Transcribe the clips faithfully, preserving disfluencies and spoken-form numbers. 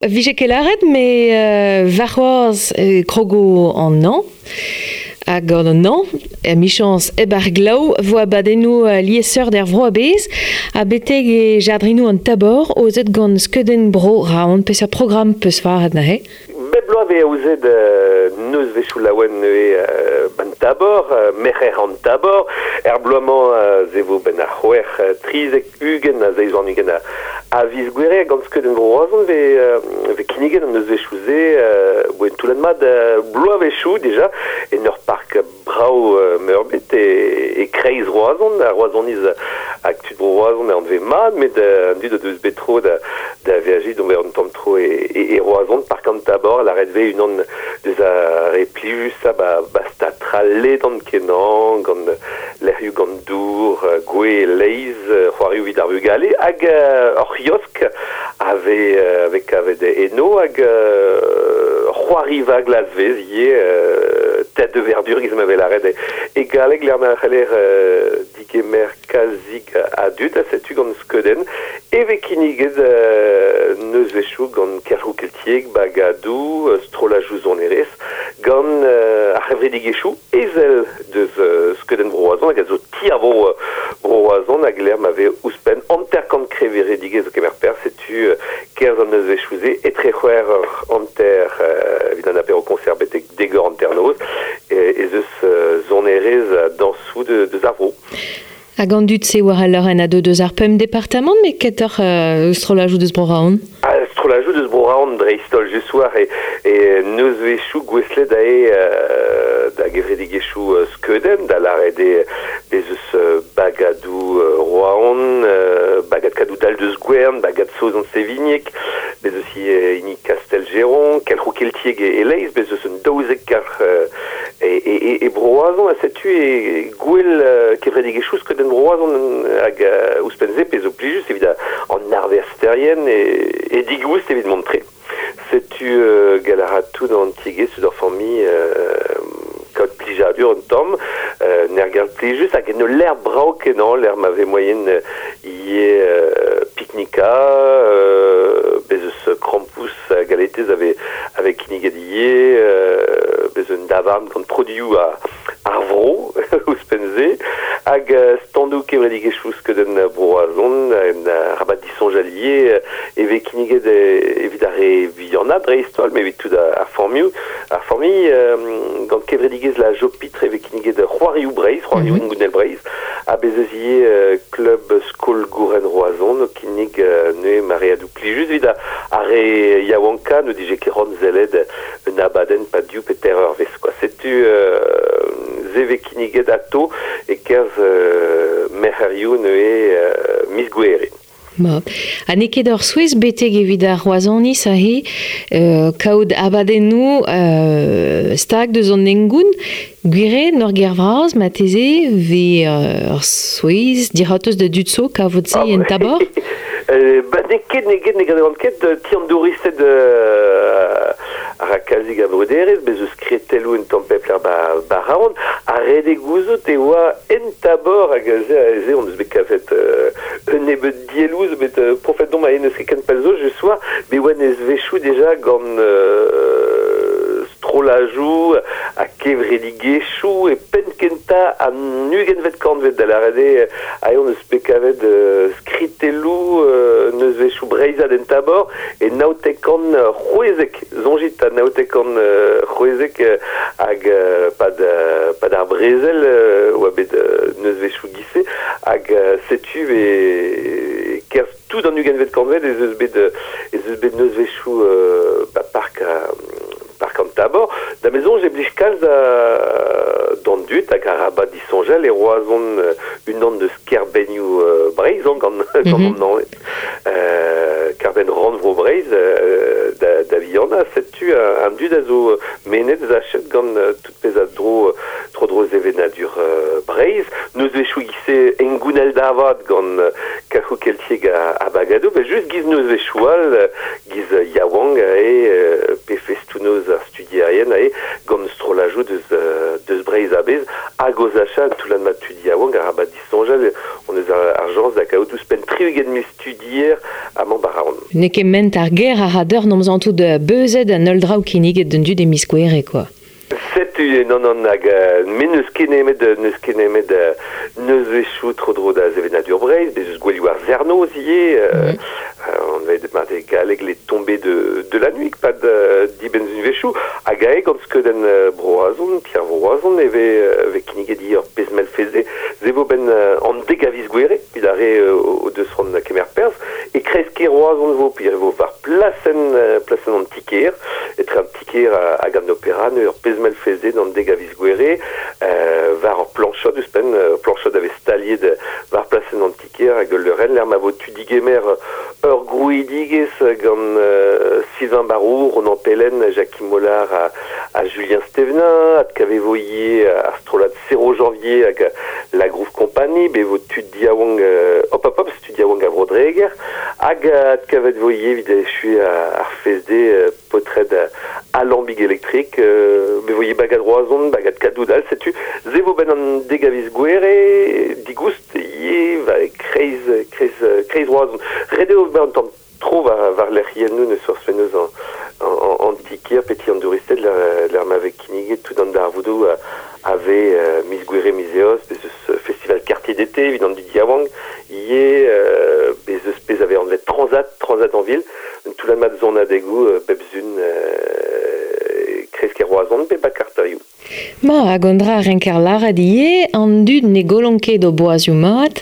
Vije ket lâret, me euh, warc'hoazh euh, krogo an an, hag gant an an, emichañs hep ar glav vo abadennoù uh, liesseurt er vro a-bezh, ha betek e jardrinoù an Tabor, aozet gant skeudenn bro Raon, peseurt programm peus faret neuze? Bep bloaz vez aozet euh, nozvezhioù laouen neuze euh, ban Tabor, euh, merc'her an Tabor, er bloaz-mañ euh, ze vo ben ar c'hwec'h euh, trizek ugent a zeiz warn-ugent a, a viz Gouere gant skeudenn bro Roazhon vez, euh, vez kinniget an nozvezhioù-se euh, boen toullad mat euh, bloavezhioù déjà en ur park brav euh, meurbet e, e kreiz Roazhon, ar Roazhoniz hag tud bro Roazhon an vez mat, met euh, an dud o deus bet tro da, da veajiñ d'ober un tamm tro e, e, e Roazhon, park an Tabor, la ret vez unan deus ar re plijusañ ba, ba stad ledan kenañ, gant lec'hioù gant dour, euh, gwe leiz, euh, c'hoarioù evit ar vugale, hag euh, ur c'hiosk a vez, euh, vez kavet eno, hag euh, c'hoariva glasvez ivez, euh, tête de verdure giz ma vez lâret e, e galleg lec'h ma c'heller euh, digemer kalzik a dud, ha setu gant skeudenn, e vez kinniget euh, nozvezhioù gant kelc'hioù keltiek, bagadoù, euh, strollajoù sonerezh, gant euh, ar c'hevredigezhioù ezel deus euh, skeudenn bro Roazhon, hag a zo ti ar vro euh, bro Roazhon, hag lec'h ma vez ouzhpenn hanter-kant kevredigezh o kemer perzh, setu euh, kerzh an nozvezhioù-se, etre c'hwec'h eur hanter euh, evit an apéro concert betek dek eur hanternoz, e, ez eus euh, sonerezh ha dañsoù de, deus ar vro. Hag an dud-se war al leurenn a deu deus ar pemp departamant, met ketoc'h euh, strollajoù deus bro Raon? Ah, strollajoù deus bro Raon dreist-holl just war e, e nozvezhioù gouestlet da e euh, da gevredigezhioù euh, skeudenn, da lâret eo bez eus euh, bagadoù euh, Roazhon, euh, bagad Kadoudal deus Gwern, bagad Saozon Sevigneg, bez eus ivez hini Castelgeron, kelc'hioù keltiek e, e Leiz, bez eus un daouzek kelc'h euh, e, e, e, e bro Roazhon, ha setu e gwell euh, kevredigezhioù skeudenn bro Roazhon hag euh, ouzhpenn-se pezh zo plijus evit an arvesterien e, e digoust evit mont tre. Setu euh, gall a ra tout an tiegezh eus ur familh euh, kaout plijadur un tamm, euh, n'er plijus hag en ul lec'h brav kenañ, lec'h ma vez moaien euh, ivez euh, piknika, euh, bez eus krampouezh ha galetez a vez, a vez kinniget ivez, euh, bez un davarn gant produioù a, ar vro, ouzhpenn-se, hag euh, standoù kevredigezhioù skeudenn bro Roazhon, en rabat disoñjal ivez, e vez kinniget e, evit ar re vihanañ dreist-holl, met evit tout ar familhoù, ar familh, euh, gant kevredigezh la Jopitre e vez kinniget c'hoarioù Breizh, c'hoarioù mm -hmm. Gounel Breizh, ha bez eus ivez euh, klub skol gouren Roazhon o kinnig euh, neuze mareadoù plijus evit ar re yaouankañ n'o dije ket c'hoant sellet un abadenn pad div pe teir eurvezh, quoi. Setu euh, se vez kinniget ato e kerzh euh, merc'herioù neuze euh, miz Gouere. Ma. Ha n'eo ket ur souezh betek evit ar Roazhoniz aze euh, kaout abadennoù euh, stag deus an hengoun, gwir eo en ur gêr vras marteze vez euh, ur souezh dic'hortoz da dud zo kavout se Ah, en Tabor? Euh, ba n'eo ket, n'eo ket, ne gredan ket, ti an douristed euh, a ra kalzik a bruderezh, bez eus kretelloù un tamm pep lec'h ba, ba Raon, ha ret eo gouzout e oa en Tabor hag se, se on eus bet kavet euh, un nebeud dielloù zo bet euh, profet domp a eus ket ken pell zo just war, bet oa nozvezhioù déjà gant euh, strollajoù ha kevredigezhioù e penn kentañ an ugentvet kantved da lâret eo aze on eus bet kavet euh, skritelloù euh, nozvezhioù breizhat en Tabor e naontek kant c'hwezek, soñjit ha naontek kant euh, c'hwezek euh, hag euh, pad, euh, pad ar brezel euh, oa bet euh, nozvezhioù giz-se hag euh, setu e kerzh tout an ugentvet kantved ez eus bet ez eus bet nozvezhioù euh, ba park a, park an Tabor. Da maison j'ai blij kalz a d'an dud hag arabat disoñjal e Roazhon euh, unan deus kêrbennoù euh, Breizh an gant, mm -hmm. gant an euh, kêrbenn rannvro Breizh euh, da, da vihanañ, setu an dud a zo mennet sachet gant euh, tout pezh a dro tro dro sevenadur euh, Breizh. Nozvezhioù giz-se hengounel da vat gant euh, kelc'hioù keltiek a, a bagadoù, ben just giz nozvezhioù all giz yaouank e euh, pe festoù-noz ar studierien ae gant strollajoù deus, euh, deus Breizh a-bezh hag o sachañ toullad mat tud yaouank arabat disoñjal on eus ar, ar chañs da kaout ouzhpenn tri-ugent mil studier amañ ba Raon. Ne ket ment ar ger ar radeur n'omz an tout beuzet an ul draoù kinniget d'un dud e miz Gouere, quoi. Setu, non, non, hag me n'eus ket nemet, n'eus ket nemet neus vechou tro dro da sevenadur Breizh, bez eus gwelioù ar Zernoz ivez, mm. euh, on va mar de galleg les tombées de, de la nuit, pad uh, dibenn vechou, hag ae gant skeudenn uh, Bro-Roazhon, Pierre Bro-Roazhon, e ve, uh, ve kinniget di ur pezh mell feze, ze vo ben uh, an deg a viz Gouere, evit ar re uh, o deus c'hoant kemer perzh, e kreiz-kêr Roazhon vo, puis e vo war plasenn, uh, plasenn an ti-kêr, etre an ti-kêr hag an opera, ur pezh mell feze d'an deg a viz Gouere, euh, war ur planchod ouzhpenn, ur planchod a vez staliet war plasenn an ti-kêr hag ul leurenn, lec'h ma vo tu digemer ur grouidigezh gant euh, Sylvain Barou, Ronan Pellen, Jackie Mollard ha, ha Julien Stevenin, adkavet vo ivez ar strollad Zéro Janvier hag la Groove Company, be vo tud diaouank euh, hop hop hop, tud diaouank a Bro-Dreger, hag adkavet vo ivez evit echuiñ ar fest-deiz euh, paotred Alambic électrique, euh, be vo ivez bagad Roazhon, bagad Kadoudal, setu, ze vo ben an deg a viz Gouere, digoust ivez va kreiz, kreiz, kreiz Roazhon. Ret eo ober un tamm tro war, war lec'hiennoù neus forzh penaos an, an, an, an ti-kêr pe ti an douristed lec'h ma vez kinniget tout an darvoudoù a, a vez euh, miz Gouere miz Eost, bez eus festival quartier d'été evit an dud yaouank, ivez euh, bez eus pezh a vez anvet Transat, Transat en ville, un toullad mat sonadegoù euh, bep sizhun euh, kreiz-kêr Roazhon pe ba karterioù. Ma, hag an dra renker lâret ivez, an dud ne gollont ket o boazioù mat,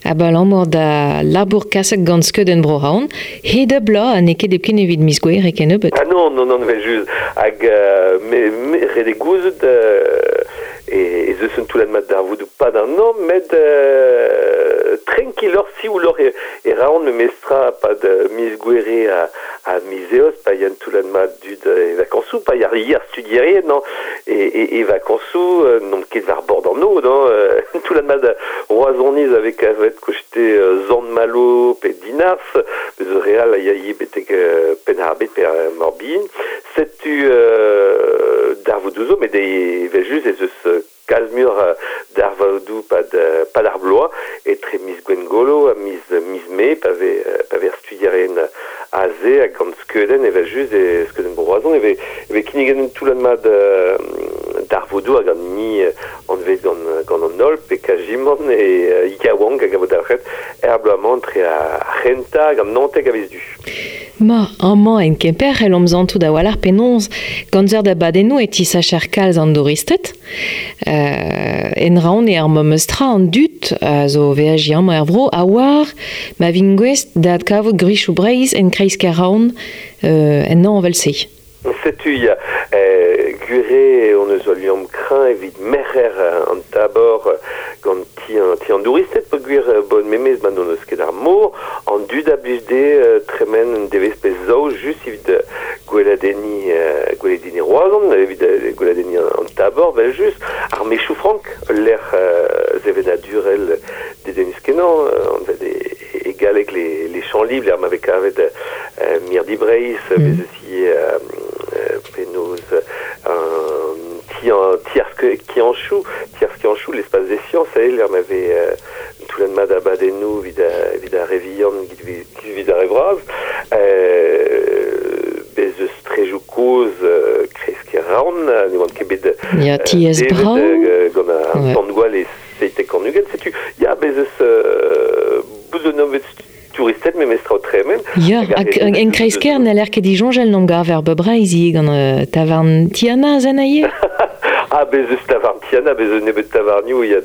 abalamour da labour kaset gant skeudenn Bro-Raon, hed ar bloaz ha n'eo ket hepken evit miz Gouere kennebeut. Ah non, non, non, vel just. Hag euh, me, me ret eo gouzout euh, e, ez eus un toullad mat darvoudoù pad an hañv, met euh, tranquilloc'h siouloc'h e, e raont memestra pad miz Gouere ha, ha miz Eost, pa ya un toullad mat dud e vakañsoù, pa ya ar studierien, non, e, e, e vakañsoù, euh, n'omp ket war bord an aod, non, euh, toullad mat Roazhoniz a vez kavet koste euh, Sant-Malo pe Dinarzh, bez eus re all a ya ivez betek euh, Penn-ar-Bed pe ar Morbihan. Setu euh, darvoudoù zo, met evel just ez eus euh, kalz muioc'h darvoudoù pad, pad ar bloaz, etre miz Gwengolo ha miz, miz Mae, pa vez, pa vez ar studierien aze hag gant skeudenn evel just e skeudenn Bro-Roazhon, e vez, e vez kinniget un toullad mat euh, darvoudoù hag an hini anvet gant, gant an holl, pe kazimant e uh, yaouank hag a vo dalc'het er bloaz-mañ entre ar c'hentañ hag an naontek a viz Du. Ma, amañ en Kemper c'hellomp santout a-walc'h penaos gant seurt abadennoù e tisacher kalz an douristed. Euh, en raon e ar memes tra an dud a zo veajiñ amañ er vro a oar ma vint gouest da adkavout gwrizioù Breizh en kreiz-kêr Raon euh, en hañv evel-se. Setu ya, euh, gwir eo hon eus ul liamm kreñv evit merc'her an tabor gant ti an, ti an douristed peogwir bon memes ma n'hon eus ket ar mor, an dud a blij dezhe tremen un devezh pe zaou just evit gweladenniñ, euh, gweladenniñ Roazhon, evit gweladenniñ an, an tabor, vel just, ar mechoù frank, ul lec'h euh, sevenadurel dedennus kenañ, anvet e, e galleg les, les champs libres, lec'h ma vez kavet euh, Mirdi Breizh, mm. bez eus ivez euh, penaos un ti an ti ar skianchoù, ti ar skianchoù, l'espace des sciences, eo lec'h ma vez euh, toullad mat abadennoù evit evit ar re vihan, evit ar re vras, euh, bez eus strejoù kozh euh, kreiz-kêr Raon, ne oant ket bet Ya, tiez brav. gant ar Ouais. tan-gwall e seitek an ugent, setu, ya, bez eus euh, bout zo nebeut touristed memestra o tremen. Ya, hag en kreiz-kêr n'haller ket disoñjal n'omp gaver bep Breizh ivez gant euh, tavarn Tiana zen aie. Ah, bez eus tavarn Tiana, bez eus nebeut tavarnioù, ya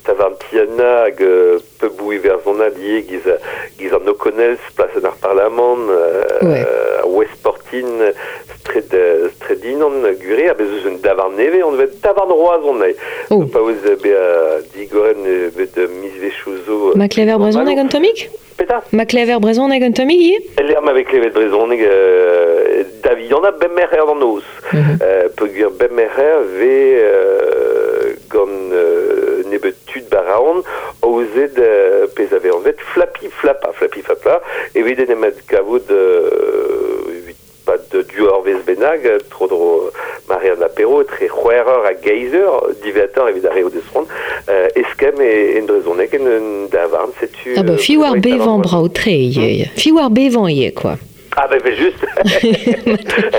tavarn Tiana hag euh, pubou iwerzhonat ivez giz, giz an O'Connell's, plasenn ar Parlamant, euh, Ouais. West Portin, straed, straed Dinan, gwir eo, ha bez eus un davarn nevez, anvet tavarn Roazhon eo. Oh. Pa ouz bezañ digoret nebeut mizvezhioù zo. Ma klever brezhoneg un tammig? Petra? Ma klever brezhoneg un tammig ivez? Lec'h ma vez klevet brezhoneg euh, da vihanañ bep merc'her d'an noz. Mm -hmm. euh, peogwir bep merc'her vez euh, gant euh, nebeut tud ba Raon aozet euh, pezh a vez anvet Flapi Flapa, Flapi Flapa, evit en em adkavout euh, evit pad div eurvezh bennak, tro-dro mare an apero, tre c'hwec'h eur hag eizh eur, diwezhatoc'h evit ar re o deus c'hoant, euh, eskemm e, en brezhoneg en un davarn, setu... Ah bah, fi war bevañ brav tre ivez. Fi war bevañ ivez, quoi. Ah ben, ben just.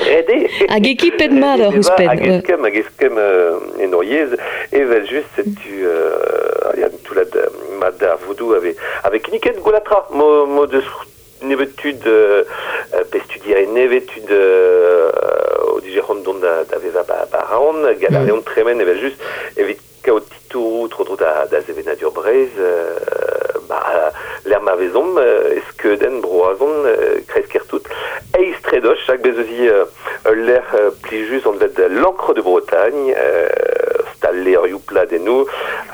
Ret eo. Hag ekipet mat ur ouzhpenn. Hag eskemm, hag eskemm euh, en hor yezh, evel just, setu euh, ya toullad mat ar vodoù ave, ave kinniget gwellatra, mo, mo deus nebeut tud euh, pe studier nevet tud euh, o dije c'hoant dont da, da vevañ ba, ba Raon, gall a reont tremen evel just, evit kaout titouroù tro-dro da, da sevenadur Breizh, euh, ba, l'air ma vezomp, euh, skeudenn Bro-Roazhon, euh, kreiz-kêr tout, eizh tredoch, hag bez eus euh, ul lec'h euh, plijus anvet l'Ancre de Bretagne, euh, stal levrioù pladennoù,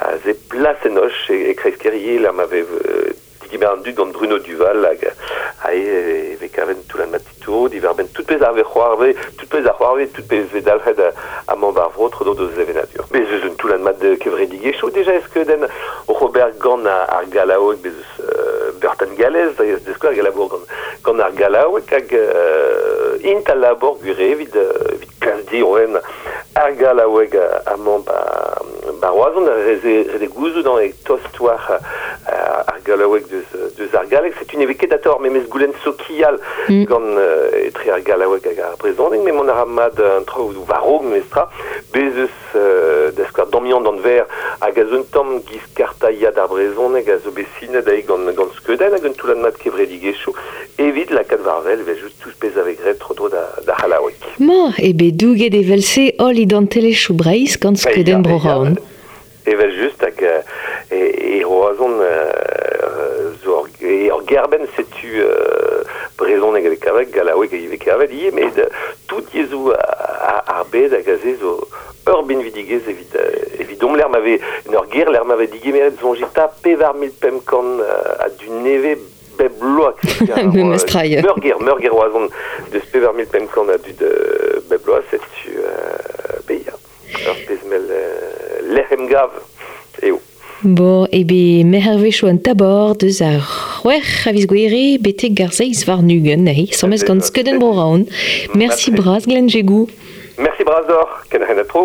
a ze plas enoch e, e kreiz-kêr ivez, l'air ma vez euh, digemer an dud gant Bruno Duval hag a e ve kaven toullad mat titouroù, diwar-benn tout pezh ar ve c'hoarve, tout pezh ar c'hoarve, tout pezh ve dalc'het amañ war vro tro-dro d'o sevenadur. Bez eus un toullad mat de kevredigezhioù déjà skeudenn Robert gant ar Gallaoueg, bez eus euh, Bertan Galez, da skouer galabour gant, gant ar Gallaoueg hag euh, int al labor gure evit, evit klas diorren ar Gallaoueg amañ ba, ba Roazhon, reze, reze gouzout an e tost war ar Gallaoueg deus, deus ar galleg. C'est une ket ator memes goulenn sokial mm. gant euh, etre ar Gallaoueg hag ar brezhoneg, met mont a ra mat an traoù war-raok memestra, bez eus euh, da skouer Damien Danver hag a zo un tamm giz kartailhad ar brezhoneg a zo bet sinet ae gant, gant skeudenn hag un toullad mat kevredigezhioù evit lakaat war-wel evel just tout pezh a vez graet tro-dro da, da C'hallaoueg. Ma, e bet douget evel-se holl identelezhioù Breizh gant skeudenn Bro-Roazhon. Evel just hag e, e Roazhon euh, zo ur, e ur gerbenn setu euh, brezhoneg a vez kavet, gallaoueg a vez kavet ivez, met tout yezhoù ar bed hag aze zo ur binvidigezh evit, evit omp l'er m'ave, en ur ger l'er m'ave digemeret soñjeta pevar mil pemp kant a du neve bep bloaz. Memes-trailh. Meur ger, meur ger Roazhon deus pevar mil pemp kant a dud bep bloaz, setu euh, beia. Ur pezh mell euh, lec'h emgav eo. Bon, ebe mehervezhioù an tabor deus ar c'hwec'h a viz Gouere betek ar seizh warn-ugent, nahi, semez gant skeudenn Bro-Roazhon. Merci bras, Glenn Jégou. Merci bras d'or, ken a tro.